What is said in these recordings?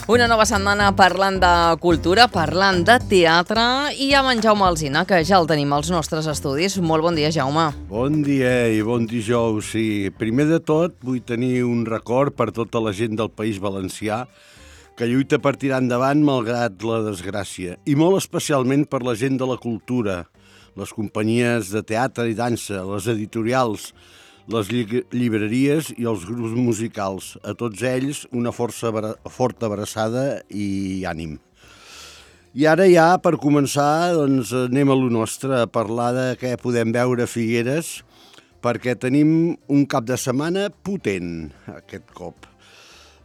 Una nova setmana parlant de cultura, parlant de teatre i amb en Jaume Alsina, que ja el tenim als nostres estudis. Molt bon dia, Jaume. Bon dia i bon dijous. Sí, primer de tot vull tenir un record per tota la gent del País Valencià que lluita per tirar endavant malgrat la desgràcia, i molt especialment per la gent de la cultura, les companyies de teatre i dansa, les editorials, les llibreries i els grups musicals. A tots ells una forta abraçada i ànim. I ara ja, per començar, doncs, anem a lo nostre, a parlar de què podem veure a Figueres, perquè tenim un cap de setmana potent aquest cop,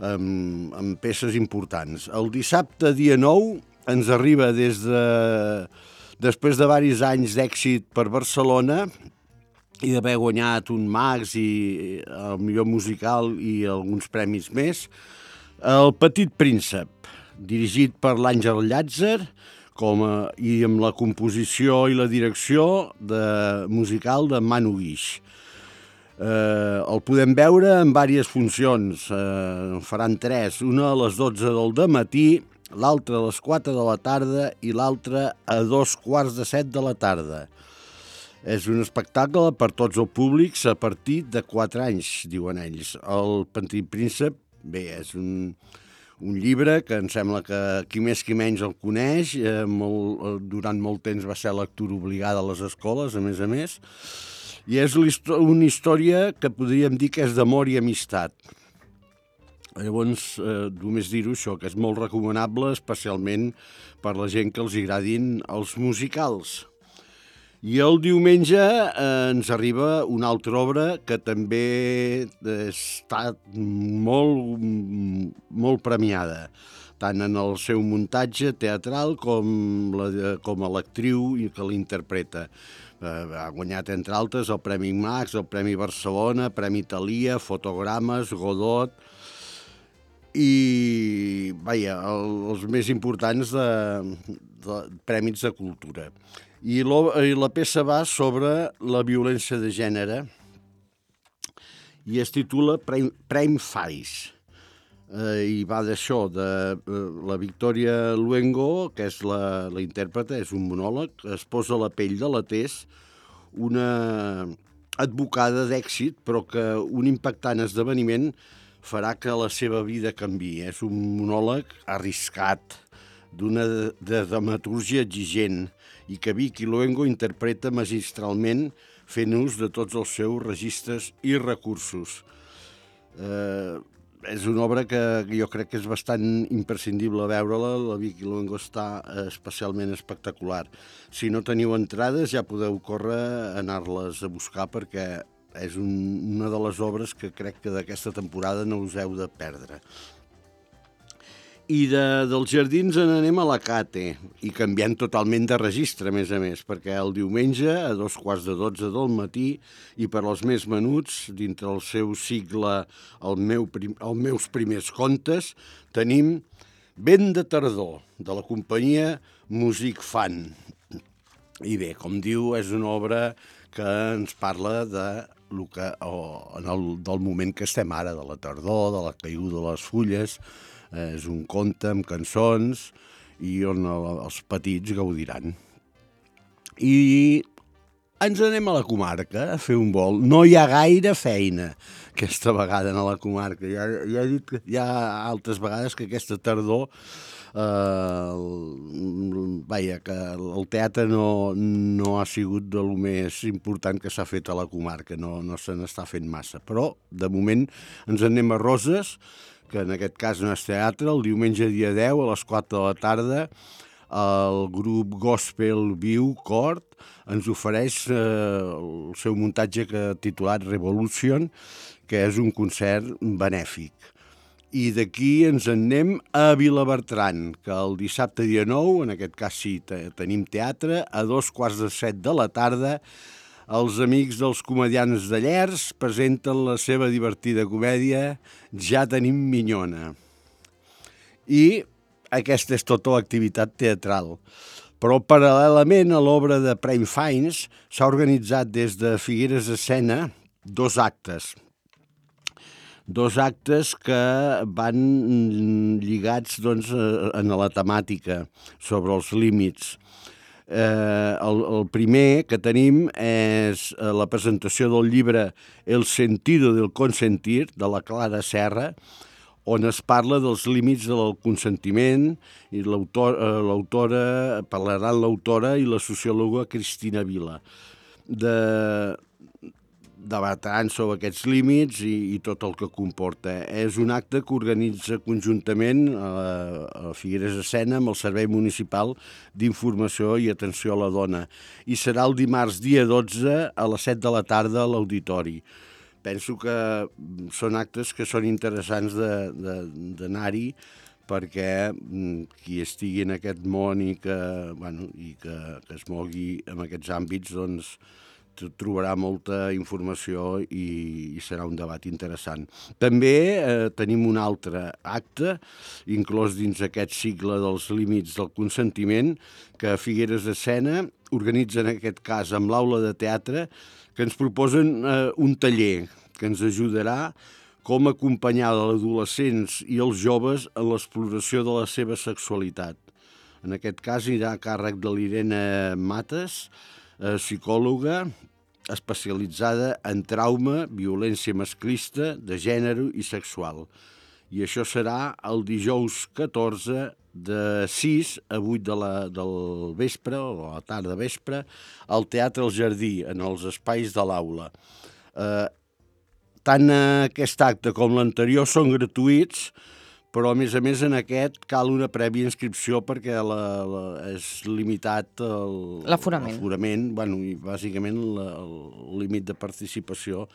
amb peces importants. El dissabte, dia 9, ens arriba després de diversos anys d'èxit per Barcelona i d'haver guanyat un Max i el millor musical i alguns premis més, El Petit Príncep, dirigit per l'Àngel Llàtzer i amb la composició i la direcció musical de Manu Guix. El podem veure en diverses funcions, faran 3, una a les 12 del dematí, l'altra a les 4 de la tarda i l'altra a 2:15 de la tarda. És un espectacle per tots els públics a partir de 4 anys, diuen ells. El Petit Príncep, bé, és un llibre que em sembla que qui més qui menys el coneix. Durant molt temps va ser lectura obligada a les escoles, a més. I és una història que podríem dir que és d'amor i amistat. Llavors, només dir-ho això, que és molt recomanable, especialment per la gent que els agradin els musicals. I el diumenge ens arriba una altra obra que també ha estat molt premiada, tant en el seu muntatge teatral com a l'actriu que l'interpreta. Ha guanyat, entre altres, el Premi Max, el Premi Barcelona, Premi Thalia, Fotogrames, Godot i, els més importants de premis de cultura. I la peça va sobre la violència de gènere i es titula Prime Face. I va d'això, de la Victoria Luengo, que és la intèrpreta, és un monòleg, es posa la pell de la Tess, una advocada d'èxit, però que un impactant esdeveniment farà que la seva vida canviï. És un monòleg arriscat, d'una dramatúrgia exigent, i que Vicky Luengo interpreta magistralment fent ús de tots els seus registres i recursos. És una obra que jo crec que és bastant imprescindible veure-la. La Vicky Luengo està especialment espectacular. Si no teniu entrades ja podeu córrer a anar-les a buscar, perquè és una de les obres que crec que d'aquesta temporada no us heu de perdre. I dels jardins anem a la Cate, i canviant totalment de registre, a més, perquè el diumenge, a 2:15 del matí, i per als més menuts, dintre el seu cicle Els meus primers contes, tenim Vent de tardor, de la companyia Music Fan. I bé, com diu, és una obra que ens parla del moment que estem ara, de la tardor, de la caiguda de les fulles. És un conte amb cançons i on els petits gaudiran. I ens anem a la comarca a fer un vol. No hi ha gaire feina aquesta vegada a la comarca. Ja he dit que hi ha altres vegades que aquesta tardor que el teatre no ha sigut de lo més important que s'ha fet a la comarca. No se n'està fent massa. Però, de moment, ens anem a Roses, que en aquest cas no és teatre. El diumenge dia 10 a les 4 de la tarda el grup Gospel Viu Cort ens ofereix el seu muntatge titulat Revolution, que és un concert benèfic. I d'aquí ens en anem a Vilabertran, que el dissabte dia 9, en aquest cas sí, tenim teatre, a 2:15 de la tarda, els amics dels comedians de Llers presenten la seva divertida comèdia Ja tenim minyona. I aquesta és tota l'activitat teatral. Però paral·lelament a l'obra de Prime Fines s'ha organitzat des de Figueres Escena 2 actes. 2 actes que van lligats doncs, en la temàtica sobre els límits. El primer que tenim és la presentació del llibre El sentido del consentir, de la Clara Serra, on es parla dels límits del consentiment, i parlaran l'autora i la sociòloga Cristina Vila. Debatran sobre aquests límits i tot el que comporta. És un acte que organitza conjuntament a Figueres de Sena amb el Servei Municipal d'Informació i Atenció a la Dona, i serà el dimarts dia 12 a les 7 de la tarda a l'auditori. Penso que són actes que són interessants d'anar-hi, perquè qui estigui en aquest món i que es mogui en aquests àmbits, doncs trobarà molta informació i serà un debat interessant. També tenim un altre acte, inclòs dins aquest cicle dels límits del consentiment, que Figueres de Sena organitza en aquest cas amb l'Aula de Teatre, que ens proposen un taller que ens ajudarà com acompanyar els adolescents i els joves en l'exploració de la seva sexualitat. En aquest cas irà a càrrec de l'Irene Mates, psicòloga especialitzada en trauma, violència masclista, de gènere i sexual. I això serà el dijous 14 de 6 a 8 del vespre, o a la tarda vespre, al Teatre El Jardí, en els espais de l'aula. Tant aquest acte com l'anterior són gratuïts, però a més en aquest cal una prèvia inscripció perquè és limitat l'aforament, i bàsicament el límit de participació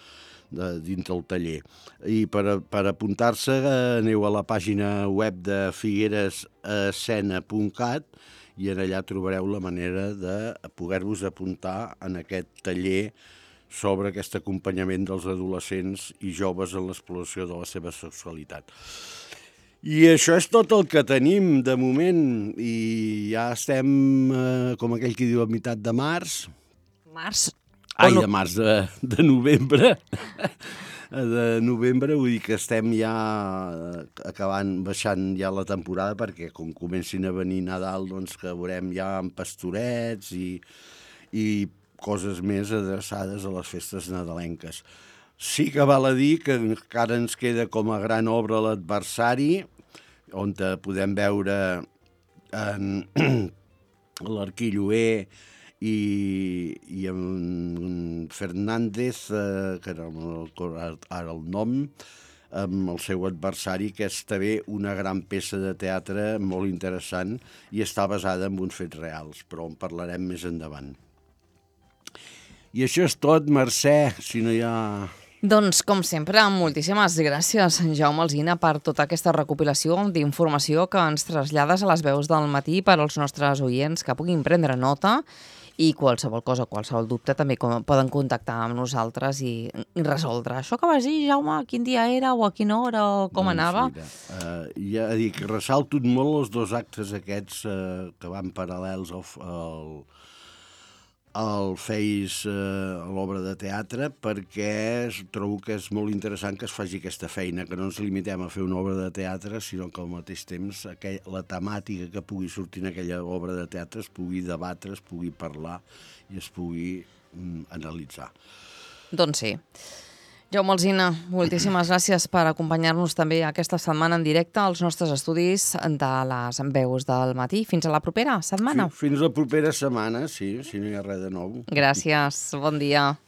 dins del taller. I per apuntar-se aneu a la pàgina web de figuerescena.cat i en allà trobareu la manera de poder-vos apuntar en aquest taller sobre aquest acompanyament dels adolescents i joves en l'exploració de la seva sexualitat. I això és tot el que tenim de moment, i ja estem, com aquell que diu, a meitat de març. De març, de novembre. De novembre, vull dir que estem ja baixant ja la temporada, perquè com comencin a venir Nadal, doncs que veurem ja amb pastorets i coses més adreçades a les festes nadalenques. Sí que val a dir que encara ens queda com a gran obra l'Adversari, on podem veure en l'Arquilloé i en Fernández, que no recordo ara el nom, amb el seu adversari, que és també una gran peça de teatre molt interessant i està basada en uns fets reals, però en parlarem més endavant. I això és tot, Mercè, si no hi ha... Doncs, com sempre, moltíssimes gràcies, Jaume Alsina, per tota aquesta recopilació d'informació que ens trasllades a les veus del matí per als nostres oients que puguin prendre nota, i qualsevol cosa, qualsevol dubte, també poden contactar amb nosaltres i resoldre. Això que vas dir, Jaume, quin dia era o a quina hora o com anava? Ja dic, ressalto molt els 2 actes aquests que van paral·lels al FEIS, a l'obra de teatre, perquè trobo que és molt interessant que es faci aquesta feina, que no ens limitem a fer una obra de teatre, sinó que al mateix temps la temàtica que pugui sortir en aquella obra de teatre es pugui debatre, es pugui parlar i es pugui analitzar. Doncs sí. Jaume Alsina, moltíssimes gràcies per acompanyar-nos també aquesta setmana en directe als nostres estudis de les veus del matí. Fins a la propera setmana. Fins la propera setmana, sí, si no hi ha res de nou. Gràcies, bon dia.